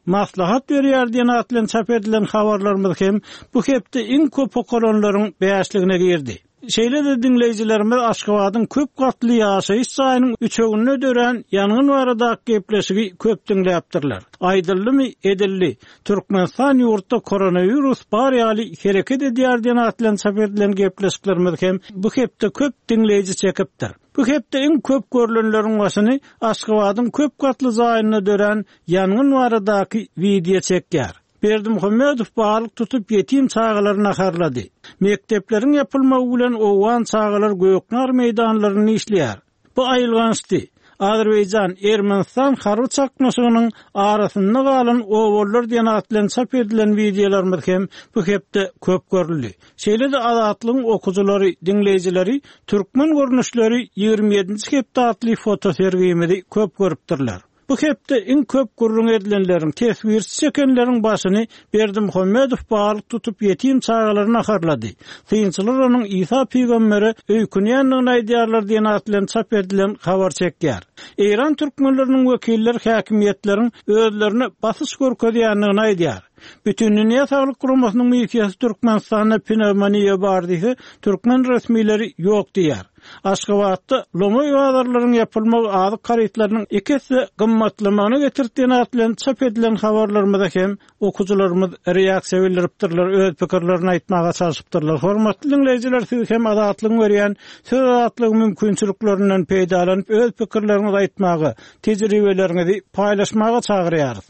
maslahat berýär diýen at bilen çap edilen habarlarymyz hem bu hepde iň köp okalanlaryň bäşligine girdi. Şeýle-de diňleýjilerimiz Aşgabadyň köp gatly ýaşaýyş jaýynyň üçeginde dörän ýangyn baradaky gepleşigi köp diňläpdirler. Aýdyldymy, edildi. Türkmenistan ýurtda koronawirus bar ýaly hereket edýär diýen at bilen çap edilen gepleşiklerimiz hem bu hepde köp diňleýji çekipdir. Bu hepde iň köp görlenleriň başyny Aşgabadyň köp gatly jaýynda dörän ýangyn baradaky wideo çekýär. Berdimuhamedow balyk tutup ýetim çagalary naharlady. Mekdepleriň ýapylmagy bilen owgan çagalar göknar meýdanlarynda işleýär. Bu aýylgançdy. Azerbaýjan, Ermenistan harby çaknyşygynyň arasynda galan obalylar diýen at bilen çap edilen wideolarymyz hem bu hepde köp görüldi. Şeýle-de Azatlygyň okyjylary, diňleýjileri Türkmen görnüşleri 27-nji hepde atly fotosergimizi köp görüpdirler. Bu hepde iň köp gürrüň edilenleriň, teswirçi çekenleriň başyny Berdimuhamedow balyk tutup ýetim çagalary naharlady. Synçylar onuň Isa pygambere öýkünýändigini aýdýarlar diýen at bilen çap edilen habar çekýär. Eýran türkmenleriniň wekilleri häkimiýetleriň özlerine basyş görkezýändigini aýdýar. Bütindünýä Saglyk Guramasynyň missiýasy Türkmenistanda pnewmoniýa bar diýse, türkmen resmileri ýok diýýär. Aşgabatda lomaý bazarlaryň ýapylmagy azyk harytlarynyň iki esse gymmatlamagyna getirdi diýen at bilen çap edilen habarlarymyza hem okyjylarymyz reaksiýa bildiripdirler, öz pikirlerini aýtmaga çalşypdyrlar. Hormatly diňleýjiler, siz hem Azatlygyň berýän söz azatlygy mümkinçiliklerinden peýdalanyp, öz pikirleriňizi aýtmaga, tejribeleriňizi paýlaşmaga çagyrýarys.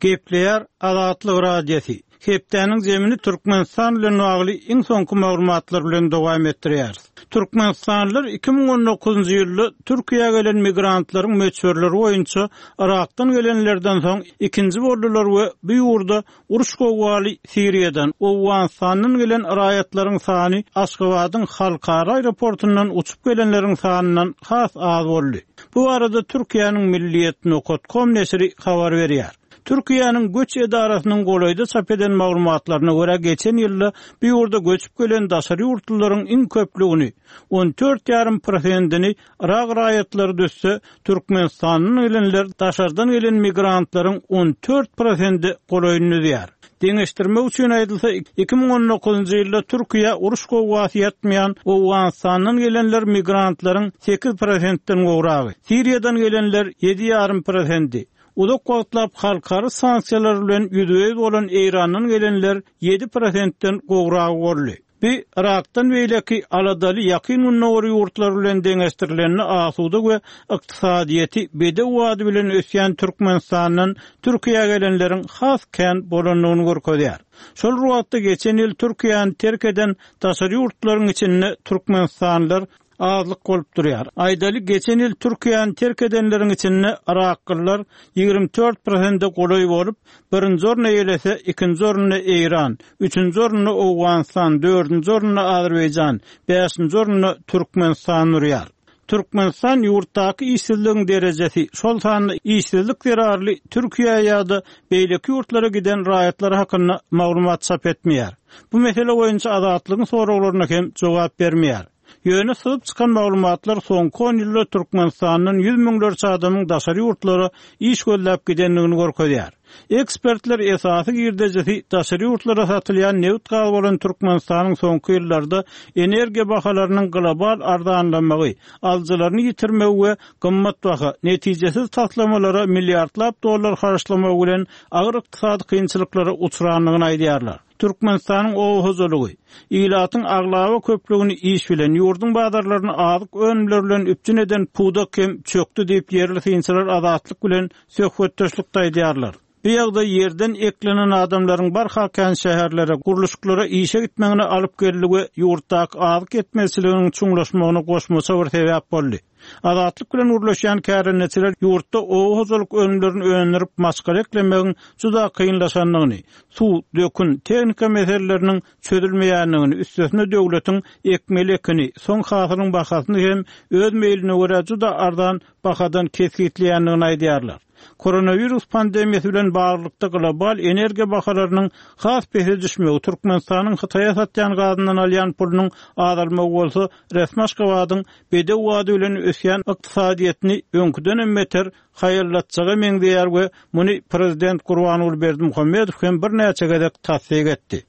Gepleýär Azatlyk Radiosy. Hepdäniň zemini Türkmenistan bilen bagly iň soňky maglumatlar bilen dowam etdirýäris. Türkmenistanlylar 2019-njy ýylda Türkiýä gelen migrantlaryň möçberleri boýunça Yrakdan gelenlerden soň ikinji boldular we bu ýurda uruş gowgaly Siriýadan, Owganystandan gelen raýatlaryň sany Aşgabadyň halkara aeroportundan uçup gelenleriň sanyndan has az boldy. Bu barada Türkiýäniň Milliyet nokat kom neşiri habar berýär. Türkiýäniň göç edarasynyň golaýda çap eden maglumatlaryna görä, geçen ýylda bu ýurda göçüp gelen daşary ýurtlularyň iň köplügini, on dört ýarym prosentini Yrak raýatlary düzse, Türkmenistandan gelenler daşardan gelen migrantlaryň on dört prosente golaýyny düzýär. Deňeşdirmek üçin aýdylsa, 2019-njy ýylda Türkiýä uruş gowgasy ýatmaýan Owganystandan gelenler migrantlaryň sekiz prosentden gowragy, Siriýadan gelenler ýedi ýarym prosendi, Uzak wagtlap halkara sanksiýalar bilen ýüzbe-ýüz bolan Eýrandan gelenler ýedi prosentden gowragy boldy. Bu, Yrakdan beýleki aladaly Ýakyn Gündogar ýurtlary bilen deňeşdirilende asuda we ykdysadyýeti bedew bady bilen ösýän Türkmenistandan Türkiýä gelenleriň has kän bolandygyny görkezýär. Şol bir wagtda geçen ýyl Türkiýäni terk eden daşary ýurtlaryň içinde türkmenistanlylar azlyk bolup durýar. Aýdaly, geçen ýyl Türkiýäni terk edenleriň içinde yraklylar 24 prosente golaý bolup, birinji orny eýelese, ikinji orunda Eýran, üçünji orunda Owganystan, dördünji orunda Azerbaýjan, bäşinji orunda Türkmenistan durýar. Türkmenistan ýurtdaky işsizligiň derejesi, şol sanda işsizlik zerarly Türkiýä ýa-da beýleki ýurtlara giden raýatlar hakynda maglumat çap etmeýär. Bu mesele boýunça Azatlygyň soraglaryna hem jogap bermeýär. Ýöne syzyp çykan maglumatlar soňky on ýylda Türkmenistandan ýüz müňlerçe adamyň daşary ýurtlara iş gözläp gidendigini görkezýär. Ekspertler esasy girdejisi daşary ýurtlara satylýan nebit-gaz bolan Türkmenistanyň soňky ýyllarda energiýa bahalarynyň global arzanlamagy, alyjylaryny ýitirmegi we gymmatbaha, netijesiz taslamalara milliardlap dollar harçlamagy bilen agyr ykdysady kynçylyklara uçrandygyny aýdýarlar. Türkmenistanyň oba hojalygy, ilatyň aglaba köplügini iş bilen, ýurduň bazarlaryny azyk önümleri bilen üpjün eden pudak hem çökdi diýip, ýerli synçylar Azatlyk bilen söhbetdeşlikde aýdýarlar. Bu ýagdaý ýerden eklenen adamlaryň barha kän şäherlere, gurluşyklara işe gitmegine alyp geldi we ýurtdaky azyk ýetmezçiliginiň çuňlaşmagyna goşmaça bir sebäp boldy. Azatlyk bilen gürleşýän kärendeçiler ýurtda oba hojalyk önümlerini öndürip maşgala eklemegiň juda kynlaşandygyny, suw, dökün, tehnika meseleleriniň çözülmeýändigini, üstesine döwletiň ekmeli ekini, soň hasylyň bahasyny hem öz meýline görä juda arzan bahadan kesgitleýändigini aýdýarlar. Koronawirus pandemiýasy bilen baglylykda global energiýa bahalarynyň has pese düşmegi, Türkmenistanyň Hytaýa satýan gazyndan alýan pulunyň azalmagy bolsa resmi Aşgabadyň bedew bady bilen ösýän ykdysadyýetini öňküdenem beter haýallatjaga meňzeýär we muny prezident Gurbanguly Berdimuhamedow hem birnäçe gezek tassyk etdi.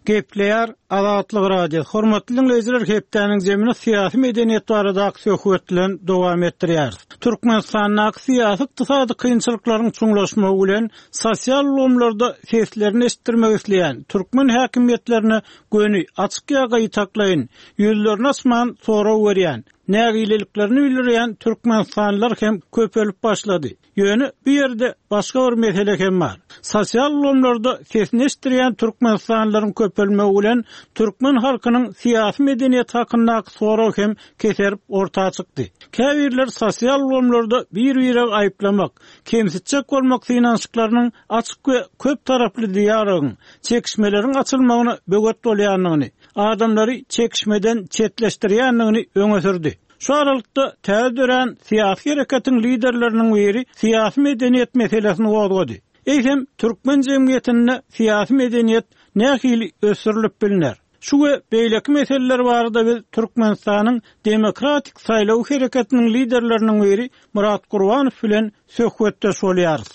Gepleýär Azatlyk Radiosy. Hormatly diňleýjiler, hepdäniň jemini syýasy medeniýet baradaky söhbet bilen dowam etdirýäris. Türkmenistandaky syýasy-ykdysady kynçylyklaryň çuňlaşmagy bilen sosial ulgamlarda seslerini eşitdirmek isleýän türkmen häkimiýetlerine göni, açyk ýa gytaklaýyn, ýüzlerini açman sorag berýän, nägileliklerini bildirýän türkmenistanlylar hem köpelip başlady. Ýöne bu ýerde başga bir mesele hem bar. Sosial ulgamlarda sesini eşitdirýän türkmenistanlylaryň köpelmegi bilen türkmen halkynyň syýasy medeniýeti hakyndaky sorag hem keserip orta çykdy. Käbirler sosial ulgamlarda bir-biregi aýyplamak, kemsitjek bolmak synanyşyklarynyň açyk we köp taraply dialogyň, çekişmeleriň açylmagyna böwet bolýandygyny, adamlary çekişmeden çetleşdirýändigini öňe sürdi. Şu aralykda täze dörän syýasy hereketiň liderleriniň biri syýasy medeniýet meselesini gozgady. Eýsem, türkmen jemgyýetinde syýasy medeniýet nähili ösdürilip bilner? Şu we beýleki meseleler barada biz Türkmenistanyň Demokratik saýlaw hereketiniň liderleriniň biri Myrat Gurbanow bilen söhbetdeş bolýarys.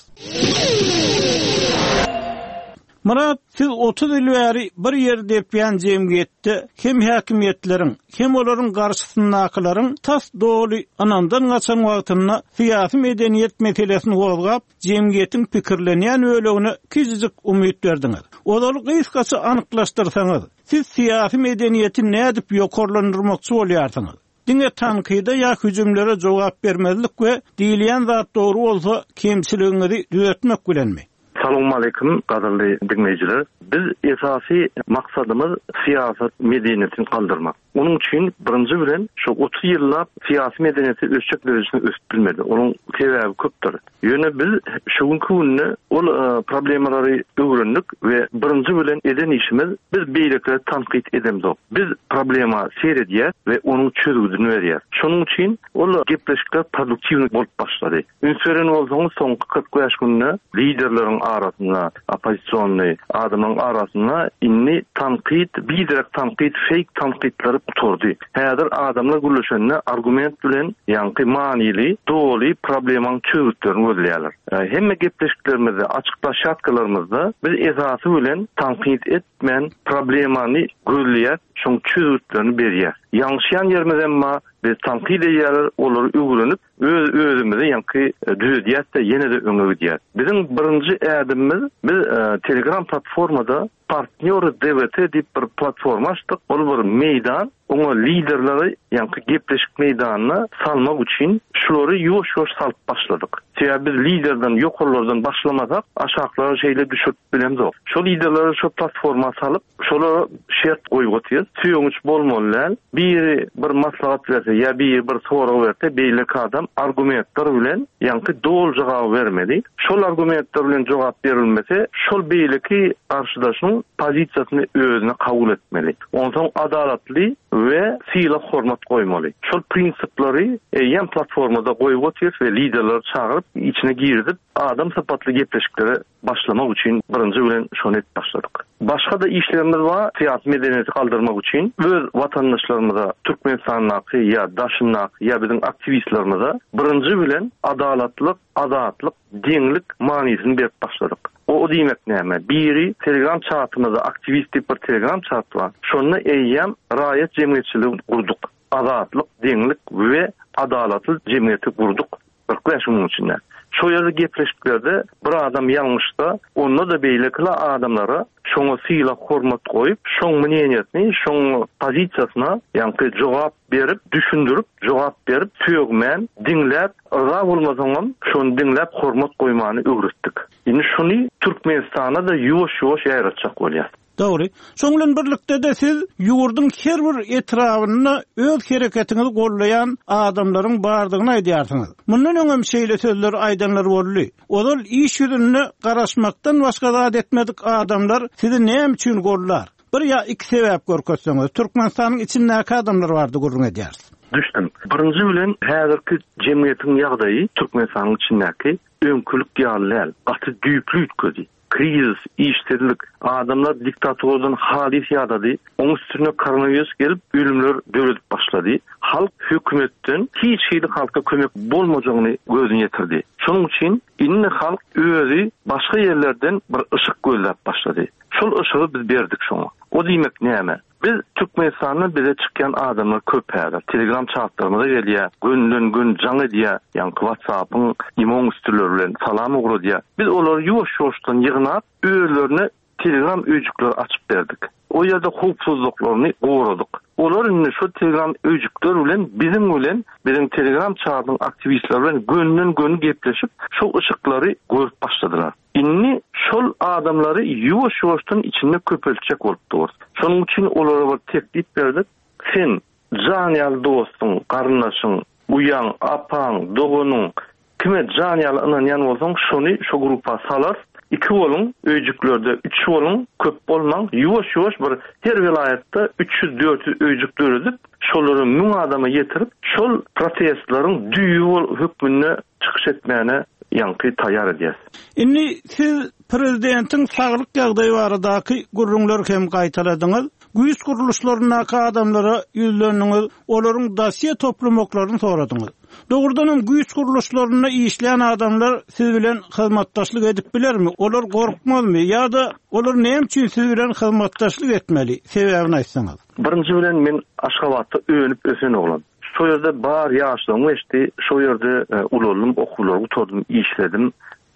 Myrat, siz 30 ýyl bäri bir ýeri depýän jemgyýetde hem häkimiýetleriň, hem olaryň garşysyndakylaryň tas doly ynamdan gaçan wagtynda syýasy medeniýet meselesini gozgap, jemgyýetiň pikirlenýän bölegine kiçijik umyt berdiňiz. Ozaly gysgaça anyklaşdyrsaňyz, siz syýasy medeniýeti nädip ýokarlandyrmakçy bolýarsyňyz? Diňe tankyda ýa hüjümlere jogap bermezlik we diýilýän zat dogry bolsa kemçiligiňizi düzetmek bilenmi? Salowmaleýkim gadyrly diňleýjiler. Biz esasy maksadymyz syýasat medeniýetini galdyrmak. Onuň üçin birinji bilen şu 30 ýyllap syýasy medeniýeti ösjek derejesinde ösüp bilmedi. Onuň sebäbi köpdür. Ýöne biz şu günki günde ol problemalary öwrendik we birinji bilen eden işimiz biz beýlekileri tankyt edemzok. Biz problema seredýäs we onuň çözgüdini berýäs. Şonuň üçin ol gepleşikler produktiwnyý bolup başlady. Üns beren bolsaňyz soňky 45 günde liderleriň arasynda oppozisionnyý adamlaryň arasynda indi tankyt, biderek tankyt, feýk tankytlary gutardy. Häzir adamlar gürleşende argument bilen ýaňky manyly, doly problemaň çözgütlerini gözleýärler. Hemme gepleşiklerimizde, açyk ploşadkalarymyzda biz esasy bilen tankyt etmän problemany gözleýäs, şoň çözgütlerini berýäs. Ýalňyşýan ýerimizem bar, biz tankyt edýärler, olary öwrenip, öz özümizi ýaňky düzedýäs-de ýene-de öňe gidýäs. Biziň birinji ädimimiz biz Telegram platformada Partnýory DWT diýip bir platforma açdyk. Ol bir meýdan, oňa liderleri ýaňky gepleşik meýdanyna salmak üçin şulary ýuwaş-ýuwaş salyp başladyk. Sebäbi biz liderden, ýokarlardan başlamasak, aşaklara şeýle düşürip bilemzok. Şo liderleri şo platforma salyp, Şolara şert goýup otyrys. Sögünç bolmaly däl. Biri bir maslahat berse ýa biri bir sorag berse, beýleki adam argumentler bilen ýaňky doly jogaby bermeli. Şol argumentler bilen jogap berilmese, şol beýleki garşydaşyň pozisiýasyny özüne kabul etmeli. Onsoň adalatly we sylag-hormat goýmaly. Şol prinsipleri eýýäm platformada goýup otyrys we liderleri çagyryp, içine girizip, adam sypatly gepleşiklere başlamak üçin birinji bilen şony edip başladyk. Başga-da işlerimiz bar, syýasy medeniýeti galdyrmak üçin öz watandaşlarymyza, Türkmenistandaky ýa daşyndaky ýa biziň aktiwistlerimize birinji bilen adalatlyk, azatlyk, deňlik manysyny berip başladyk. O diýmek näme? Biri Telegram çatymyzda aktiwist diýip bir Telegram çat bar. Şonda eýýäm raýat jemgyýetçiligini gurduk. Azatlyk, deňlik we adalatly jemgyýeti gurduk. 45 günüň içinde. Şo ýerde gepleşiklerde bir adam ýalňyşsa, onda-da beýleki adamlara şoňa sylag-hormat goýup, şoň mneniýesini, şoň pozisiýasyna ýaňky jogap berip, düşündirip, jogap berip, sögmän, diňläp, yrza bolmasaňam şony diňläp hormat goýmany öwretdik. Indi şuny Türkmenistana-da ýuwaş-ýuwaş ýaýratjak bolýas. Dogry. Şoň bilen birlikde-de siz ýurduň her bir etrabynda öz hereketiňizi gollaýan adamlaryň bardygyny aýdýarsyňyz. Mundan öňem şeýle sözleri aýdanlar boldy. Ozal iş ýüzünde garaşmakdan başga zat etmedik adamlar sizi näme üçin gollar? Bir ýa iki sebäp görkezseňiz, Türkmenistanyň içindäki adamlar barada gürrüň edýäris. Düşdüm. Birinji bilen häzirki jemgyýetiň ýagdaýy Türkmenistanyň içindäki öňkülik ýaly däl. Gaty düýpli üýtgedi. Krizis, işsizlik, adamlar diktaturadan halys ýadady, oň üstüne koronawirus gelip ölümler döredip başlady. Halk hökümetden hiç hili halka kömek bolmajagyny gözüni ýetirdi. Şonuň üçin indi halk özi başga ýerlerden bir yşyk gözläp başlady. Şol yşygy biz berdik şoňa. O diýmek näme? Biz Türkmenistanda bize çykýan adamlar köp häzir. Telegram çatlarymyza gelýär, gönden göni jaň edýär, ýaňky WhatsApp-yň, imoň üstüleri bilen salam ugradýar. Biz olary ýuwaş-ýuwaşdan ýygnap, özlerine Telegram öýjükleri açyp berdik. O ýerde howpsuzlyklaryny goradyk. Olar indi şo Telegram öýjükler bilen biziň bilen, biziň Telegram çadyň aktiwistleri bilen gönden-göni gepleşip, şo yşyklary görüp başladylar. Indi şol adamlary ýuwaş-ýuwaşdan içinde köpeltjek bolup durus. Şonuň üçin olara bir teklip berdik, Sen jan ýaly dostuň, garyndaşyň, uýaň, apaň, doganyň, kime jan ýaly ynanýan bolsaň, şony şo grupa salarys, iki boluň, öýjüklerde üç boluň, köp bolmaň, ýuwaş-ýuwaş bir her welaýatda 300-400 öýjük döredip, şolary müň adama ýetirip, şol protestleriň düýbi hökmünde çykyş etmäne ýaňky taýýar edýäs. Indi siz prezidentiň saglyk ýagdaýy baradaky gürrüňleri hem gaýtaladyňyz. Güýç gurluşlaryndaky adamlara ýüzlendiňiz, olaryň dosýe toplamaklaryny soradyňyz. Dogrudanam güýç gurluşlarynda işleýän adamlar siz bilen hyzmatdaşlyk edip bilermi? Olar gorkmazmy ýa-da olar näme üçin siz bilen hyzmatdaşlyk etmeli? Sebäbini aýtsaňyz. Birinji bilen men Aşgabatda önüp-ösen oglan. Şo ýerde bar ýaşlygym geçdi, şo ýerde ulaldym, okuwlary gutardym, işledim.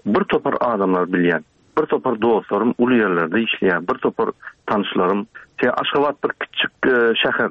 Bir topar adamlary bilýän. Bir topar dostlarym uly ýerlerde işleýär, bir topar tanyşlarym. Aşgabat bir kiçjik şäher.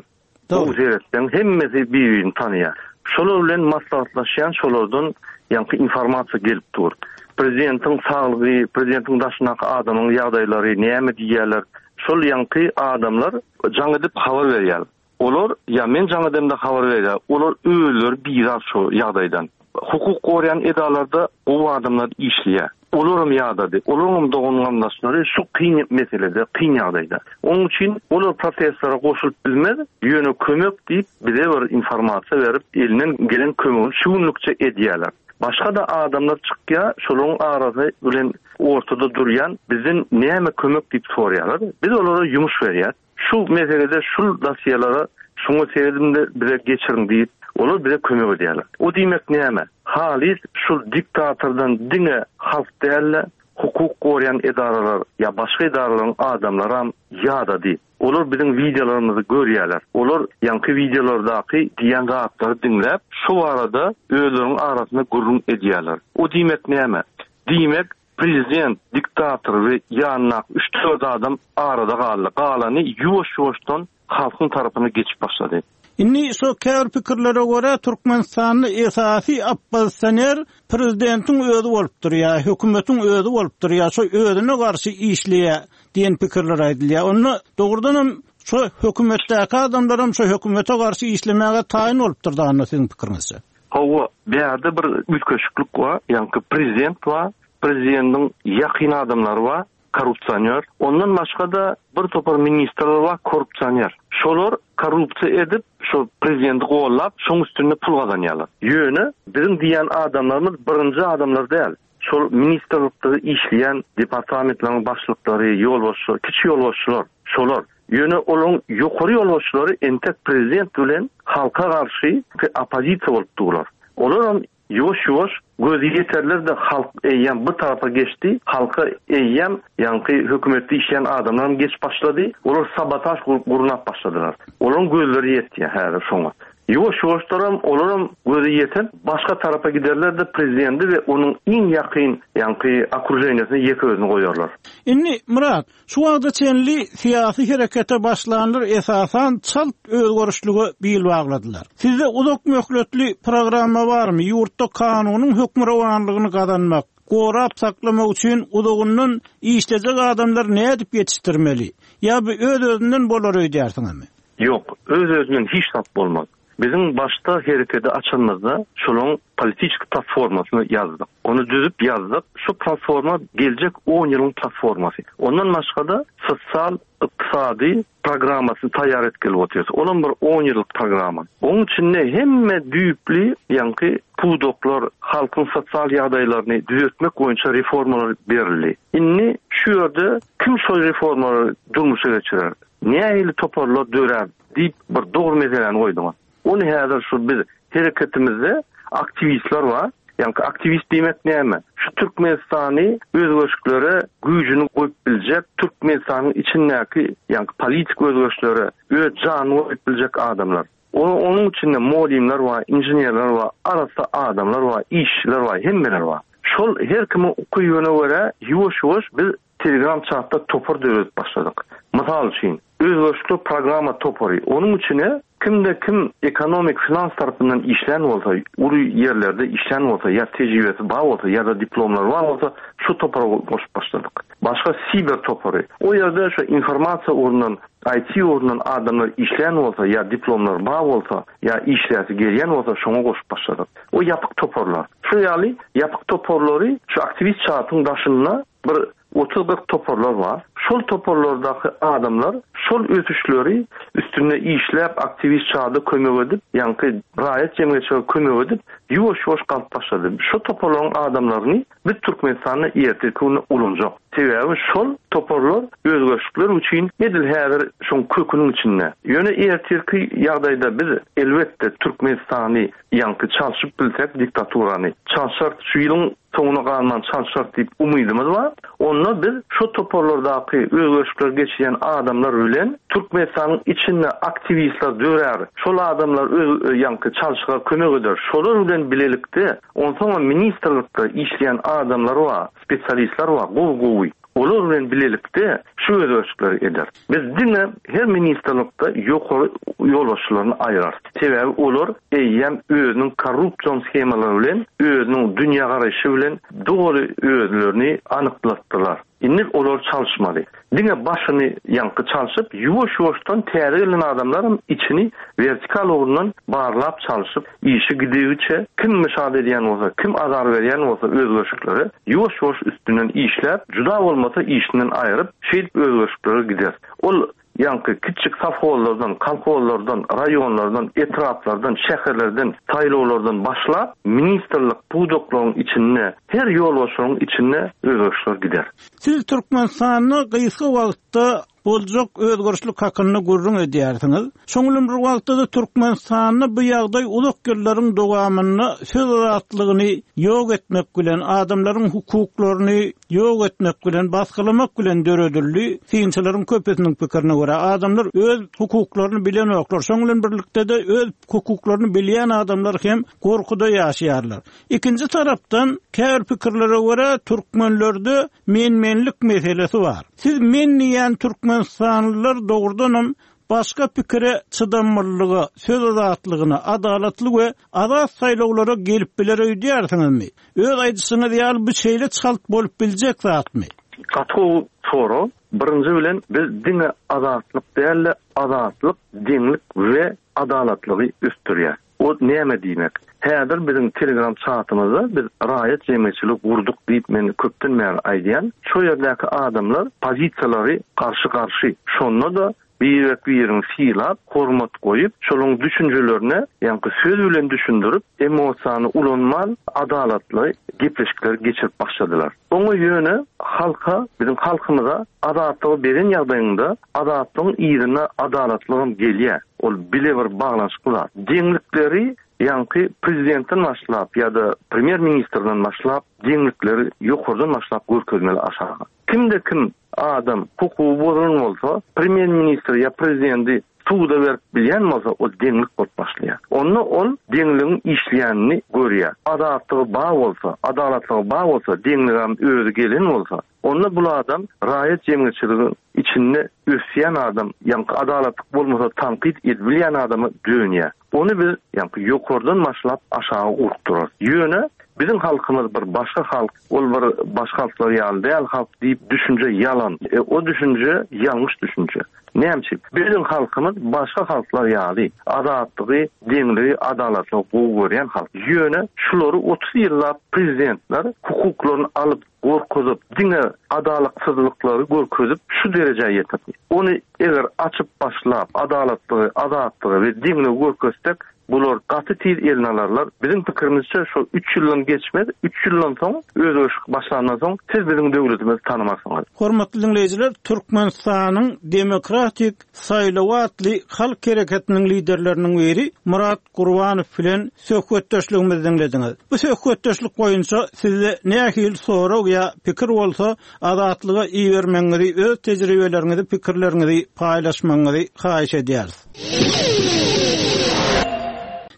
Gowy seretseň, hemmesi bir-birini tanaýar. Şolar bilen maslahatlaşýan, şolardan ýaňky informasiýa gelip dur. Prezidentiň saglygy, prezidentiň daşyndaky adamyň ýagdaýlary, näme diýýärler, şol ýaňky adamlar jaň edip habar berýär. Olar, ýa men jaň edemde habar berýär, olar özleri bizar şo ýagdaýdan. Hukuk goraýan edalarda gowy adamlar işleýär. Olaram ýadady. Olaryňam dogan-garyndaşlary şu kyn meselede, kyn ýagdaýda. Onuň üçin olar protestlere goşulyp bilmez, ýöne kömek diýip bize bir informasiýa berip, elinden gelen kömegini şu günlükçe edýärler. Başga-da adamlar çykýar, şolaryň arasy bilen ortada durýan bizden näme kömek diýip soraýarlar. Biz olara ýumuş berýäs. Şu meselede şul dosýelara şuňa serediň-de bize geçiriň diýip, olar bize kömek edýärler. O diýmek näme? Halys şul diktatordan diňe halk däl-de, hukuk goraýan edaralar ýa başga edaralaryň adamlaram ýadady. Olar biziň wideolarymyzy görýärler. Olar ýaňky wideolardaky diýýän zatlary diňläp, şu barada özleriniň arasynda gürrüň edýärler. O diýmek näme? Diýmek, Prezident, diktator we ýanyndaky üç-dört adam arada galdy. Galany ýuwaş-ýuwaşdan halkyň tarapyna geçip başlady. Indi şo käbir pikirlere görä Türkmenistanda esasy oppozisioner prezidentiň özi bolup durýar, hökümetiň özi bolup durýar, şo özüne garşy işleýär diýen pikirler aýdylýar. Onda dogrudanam şo hökümetdäki adamlaram şo hökümete garşy işlemäge taýyn bolupdyr da onda siziň pikiriňizçe? Hawa, bärde bir üýtgeşiklik bar, ýaňky prezident bar, prezidentiň ýakyn adamlary bar, korrupsioner. Ondan başga-da bir topar ministrler bar, korrupsioner. Şolar korrupsiýa edip, şo prezidenti gollap, şoň üstünde pul gazanýarlar. Ýöne biziň diýýän adamlarymyz birinji adamlar däl. Şol ministrlikde işleýän departamentleriň başlyklary, ýolbaşçylar, kiçi ýolbaşçylar, şolar. Ýöne olaryň ýokary ýolbaşçylary entek prezident bilen halka garşy oppozisiýa bolup durlar. Olaram ýuwaş-ýuwaş gözi ýeterler-de halk eýýäm bir tarapa geçdi, halka eýýäm ýaňky hökümetde işleýän adamlaram geçip başlady, olar sabotaž gurnap başladylar. Olaryň gözleri ýetýär häzir şoňa. Ýuwaş-ýuwaşlaram olaram gözi ýetip, başga tarapa giderler-de prezidenti we onuň iň ýakyn ýaňky okruženiýesine ýeke özüni goýarlar. Indi, Myrat, şu wagta çenli syýasy herekete başlanlar esasan çalt özgerişlige bil bagladylar. Sizde uzak möhletli programma barmy, ýurtda kanunyň hökmürowanlygyny gazanmak, gorap saklamak üçin uzagyndan işlejek adamlary nädip ýetişdirmeli? Ýa bu öz-özünden bolar öýdýärsiňizmi? Ýok, öz-özünden hiç zat bolmaz. Biziň başda hereketi açanymyzda şolaň politiçki platformasyny ýazdyk. Ony düzüp ýazdyk. Şu platforma geljek on ýylyň platformasy. Ondan başga-da sosial, ykdysady programmasyny taýýar etgeli otyrys. Olam bir on ýyllyk programma. Oň içinde hemme düýpli ýaňky pudaklar, halkyň sosial ýagdaýlaryny düzetmek boýunça reformalar berildi. Indi şu ýerde kim şol reformalary durmuşa geçirer? Nähili toparlar dörär diýip bir dogry meseläni goýduňyz. Ony häzir şu biz hereketimizde aktiwistler bar. Ýaňky aktiwist diýmek näme? Şu Türkmenistany özgerişiklere güýjüni goýup biljek, Türkmenistanyň içindäki ýaňky politik özgerişlere öz janyny goýup biljek adamlar. Onuň içinde mugallymlar bar, inženerler bar, arassa adamlar bar, işçiler bar, hemmeler bar. Şol her kimiň ukybyna görä ýuwaş-ýuwaş biz Telegram çatda topar döredip başladyk. Mysal üçin, özboluşly programma topary, onuň içine kimde kim ekonomik finans tarapyndan işlän bolsa, uly ýerlerde işlän bolsa ýa tejribesi bar bolsa ýa-da diplomlary bar bolsa şu topara goşup başladyk. Başga siber topary, o ýerde şu informasiýa ugrundan, IT ugrundan adamlar işlän bolsa ýa diplomlary bar bolsa ýa işläsi gelýän bolsa şoňa goşup başladyk. O ýapyk toparlar. Şu ýaly ýapyk toparlary şu aktiwist çatyň daşynda Bir otuz-kyrk toparlar bar. Şol toparlardaky adamlar şol ösüşleri üstünde işläp, aktiwist çada kömek edip, ýaňky raýat jemgyýetçilige kömek edip, ýuwaş-ýuwaş galyp başlady. Şo toparlaryň adamlaryny biz Türkmenistanda ertirki günde ulanjak. Sebäbi şol toparlar özgerişlikler üçin edil häzir şoň köküniň içinde. Ýöne ertirki ýagdaýda biz elbetde Türkmenistany ýaňky çalşyp bilsek diktaturany çalşarys. Şu ýylyň soňuna galman çalşarys diýip umydymyz bar. Onda biz şo toparlardaky özgerişlikleri geçirýän adamlar bilen Türkmenistanyň içinde aktiwistler dörär. Şol adamlar öz ýaňky çalşyga kömek eder. Şolar bilen bilelikde onsoňam ministrlikde işleýän adamlar bar, spesialistler bar gowy-gowy. Olar bilen bilelikde şu özgerişlikleri eder. Biz diňe her ministrlikde ýokary ýolbaşçylaryny aýyrarys. Sebäbi olar eýýäm özüniň korrupsion shemalary bilen, özüniň dünýägaraýşy bilen doly özlerini anyklatdylar. Indi olary çalyşmaly. Diňe başyny ýaňky çalşyp, ýuwaş-ýuwaşdan täze gelen adamlaram içini wertikal ugrundan barlap çalşyp, işi gidigiçe kim myşat edýän bolsa, kim azar berýän bolsa özgerişliklere ýuwaş-ýuwaş üstünden işläp, juda bolmasa işinden aýryp, şeýdip özgerişliklere gider. Ol ýaňky kiçjik sowhozlardan, kolhozlardan, raýonlardan, etraplardan, şäherlerden, saýlawlardan başlap, ministrlik, pudaklaryň içinde, her ýolbaşçylygyň içinde özgerişler gider. Siz Türkmenistanda gysga wagtda boljak özgerişlik hakynda gürrüň edýärsiňiz. Şoň bilen bir wagtda-da Türkmenistanda bu ýagdaý uzak ýyllaryň dowamynda söz azatlygyny ýok etmek bilen, adamlaryň hukuklaryny ýok etmek bilen, basgylamak bilen döredildi. Synçylaryň köpüsiniň pikirine görä, adamlar öz hukuklaryny bilenoklar. Şoň bilen birlikde-de öz hukuklaryny bilýän adamlar hem gorkuda ýaşaýarlar. Ikinji tarapdan, käbir pikirlere görä, türkmenlerde men-menlik meselesi bar. Siz men diýýän türkmenistanlylar dogrudanam başga pikire çydamlylyga, söz azatlygyna, adalatly we azat saýlawlara gelip biler öýdýärsiňizmi? Öz aýdyşyňyz ýaly bu şeýle çalt bolup biljek zatmy? Gaty gowy sorag. Birinji bilen biz diňe azatlyk däl-de azatlyk, deňlik we adalatlygy ösdürýäs. O näme diýmek? Häzir biziň telegram çatymyzda biz raýat jemgyýetçiligi gurduk diýip men köpden bäri aýdýan. Şo ýerdäki adamlar pozisiýalary garşy-garşy. Şonda-da birek-birini sylap, hormat goýup, şolaryň düşünjelerine ýaňky söz bilen düşündirip, emosiýany ulanman adalatly gepleşikleri geçirip başladylar. Oňa ýöne halka, biziň halkymyza azatlygy beren ýagdaýyňda azatlygyň yzynda adalatlygam gelýär. Ol bile bir baglanyşykly zat. Deňlikleri ýaňky prezidentden başlap ýa-da premýer ministrden başlap deňlikleri ýokardan başlap görkezmeli aşaga. Kimde kim adam hukugy bozulan bolsa premýer ministri ýa prezidenti suda berip bilýän bolsa ol deňlik bolup başlaýar. Onda ol deňligiň işleýänini görýär. Azatlygy bar bolsa, adalatlygy bar bolsa, deňligem özi gelen bolsa, onda bul adam raýat jemgyýetçiligiň içinde ösýän adam, ýaňky adalatlyk bolmasa tankyt edibilýän adama dönýär. Ony biz ýaňky ýokardan başlap aşaga urukdyrarys. Ýöne biziň halkymyz bir başga halk, ol bir başga halklar ýaly däl halk diýip düşünje ýalan. O düşünje ýalňyş düşünje. Näme üçin? Biziň halkymyz başga halklar ýaly azatlygy, deňligi, adalatlygy gowy görýän halk. Ýöne şulary 30 ýyllap prezidentler hukuklaryny alyp, gorkuzyp, diňe adalatsyzlyklary görkezip şu derejä ýetirdi. Ony eger açyp başlap, adalatlygy, azatlygy we deňligi görkezsek, bular gaty tiz eline alarlar. Biziň pikirimizçe şol üç ýyldan geçmez, üç ýyldan soň özgerişlik başlandan soň siz biziň döwletimizi tanamarsyňyz. Hormatly diňleýjiler, Türkmenistanyň Demokratik saýlawy atly halk hereketiniň liderleriniň biri Myrat Gurbanow bilen söhbetdeşligimizi diňlediňiz. Bu söhbetdeşlik boýunça sizde nähili sorag ýa pikir bolsa Azatlyga ibermegiňizi, öz tejribeleriňizi, pikirleriňizi paýlaşmagyňyzy haýyş edýäris.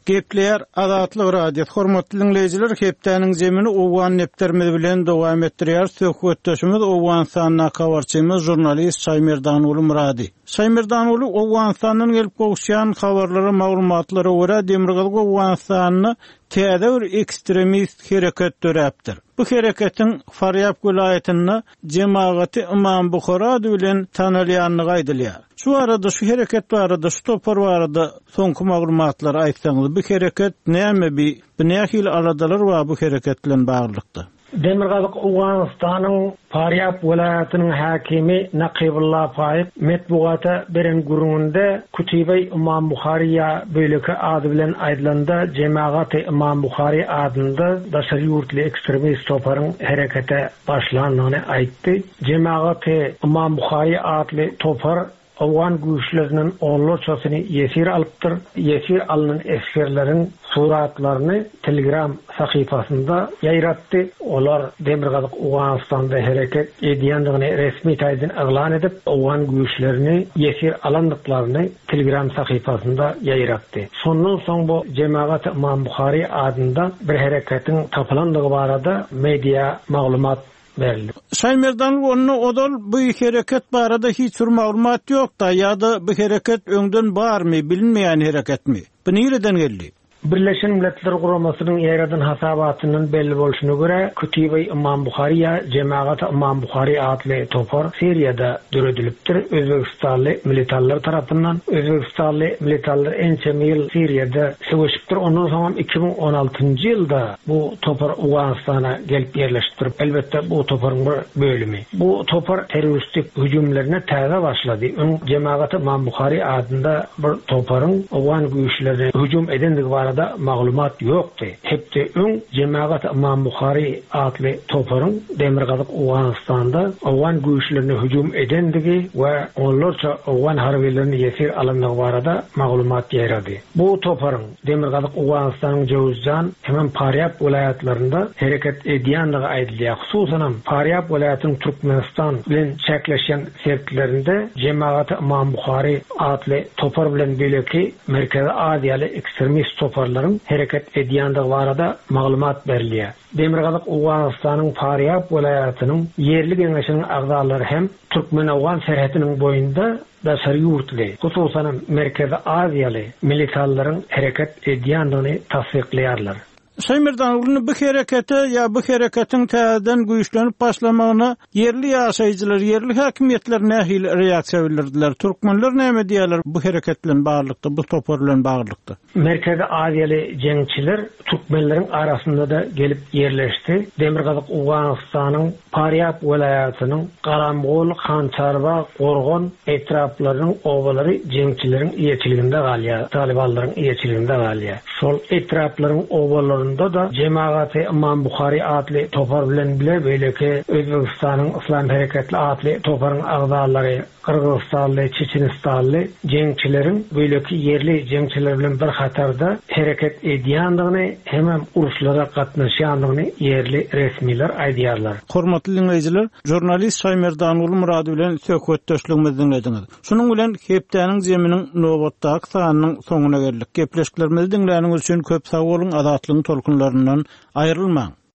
Gepleýär Azatlyk Radiosy. Hormatly diňleýjiler, hepdäniň zemini Owgan depderimiz bilen dowam etdirýäris. Söhbetdeşimiz Owganystandaky habarçymyz, žurnalist Şaýmerdanguly Myrady. Şaýmerdanguly, Owganystandan gelip gowuşýan habarlara, maglumatlara görä, Demirgazyk Owganystanda täze bir ekstremist hereket döräpdir. Bu hereketiň Farýab welaýatynda Jemagaty Ymam Buhary ady bilen tanalýandygy aýdylýar. Şu barada, şu hereket barada, şu topar barada soňky maglumatlary aýtsaňyz, bu hereket näme, bi, bu nähili aladalar bar bu hereket bilen baglylykda? Demirgazyk Owganystanyň Farýab welaýatynyň häkimi Nakybulla Faýyk metbugata beren gürrüňinde Kütibeý Ymam Buhary ýa beýleki ady bilen aýdylanda Jemagaty Ymam Buhary adynda daşary ýurtly ekstremist toparyň herekete başlandygyny aýtdy. Jemagaty Ymam Buhary atly topar owgan güýçlerinden onlarçasyny ýesir alypdyr. Ýesir alnan esgerleriň suratlaryny Telegram sahypasynda ýaýratdy. Olar Demirgazyk Owganystanda hereket edýändigini resmi taýdan yglan edip, owgan güýçlerini ýesir alandyklaryny Telegram sahypasynda ýaýratdy. Şondan soň bu Jemagat Ymam Buhary adynda bir hereketiň tapylandygy barada media maglumat berildi. Şaýmerdan onda ozal bu hereket barada hiç bir maglumat ýok-da ýa-da bu hereket öňden barmy, bilinmeýän hereketmi? Bu nireden geldi? Birleşen Milletler Guramasynyň ýaýradan hasabatyndan belli bolşuna görä, Kütibe-i Ymam Buhary ýa Jemagat-y Ymam Buhary atly topar Siriýada döredilipdir, özbegistanly militanlar tarapyndan. Özbegistanly militanlar ençeme ýyl Siriýada söweşipdir, ondan soňam 2016-njy ýylda bu topar Owganystana gelip ýerleşipdir. Elbetde, bu toparyň bir bölümi. Bu topar terroristik hüjümlerine täze başlady. Öň Jemagat-y Ymam Buhary adynda bir toparyň owgan güýçlerine hüjüm edendigi barada maglumat ýokdy. Hepde öň Jemagat-y Ymam Buhary atly toparyň demirgazyk Owganystanda owgan güýçlerine hüjüm edendigi we onlarça owgan harbylaryny ýesir alandygy barada maglumat ýaýrady. Bu toparyň demirgazyk Owganystanyň Jöwüzjan hemem Farýab welaýatlarynda hereket edýändigi aýdylýar. Hususanam, Farýab welaýatynyň Türkmenistan bilen çäkleşýän sebitlerinde Jemagaty Ymam Buhary atly topar bilen beýleki Merkezi Aziýaly ekstremist toparlaryň hereket edýändigi barada maglumat berilýär. Demirgazyk Owganystanyň Farýab welaýatynyň ýerli geňeşiniň agzalary hem türkmen-owgan serhediniň boýunda daşary ýurtly, hususanam Merkezi Aziýaly militanlaryň hereket edýändigini tassyklaýarlar. Şaýmerdan indi bu herekete ýa bu hereketiň täzeden güýçlenip başlamagyna ýerli ýaşaýjylar, ýerli häkimiýetler nähili reaksiýa bildirdiler? Türkmenler näme diýýärler bu hereket bilen baglylykda, bu topar bilen baglylykda? Merkezi Aziýaly jeňçiler türkmenleriň arasynda-da gelip ýerleşdi. Demirgazyk Owganystanyň Farýab welaýatynyň Garamgol, Hançarba, Gorgan etraplarynyň obalary jeňçileriň eýeçiliginde galýar, talybanlaryň eýeçiliginde galýar. Şol etraplaryň obalarynda-da Jemagaty Ymam Buhary atly topar bilen bile beýleki Özbegistanyň Yslam hereketli atly toparyň agzalary, Gyrgyzystanly, çeçenistanly jeňçileriň beýleki ýerli jeňçiler bilen bir hatarda hereket edýändigini hemem uruşlara gatnaşýandygyny ýerli resmiler aýdýarlar. Hormatly diňleýjiler, žurnalist Şaýmerdanguly Myrady bilen söhbetdeşligimizi diňlediňiz. Şunuň bilen hepdäniň zeminiň nobatdaky sanynyň soňuna geldik. Gepleşiklerimizi diňläniňiz üçin köp sag boluň, Azatlygyň tolkunlaryndan aýrylmaň!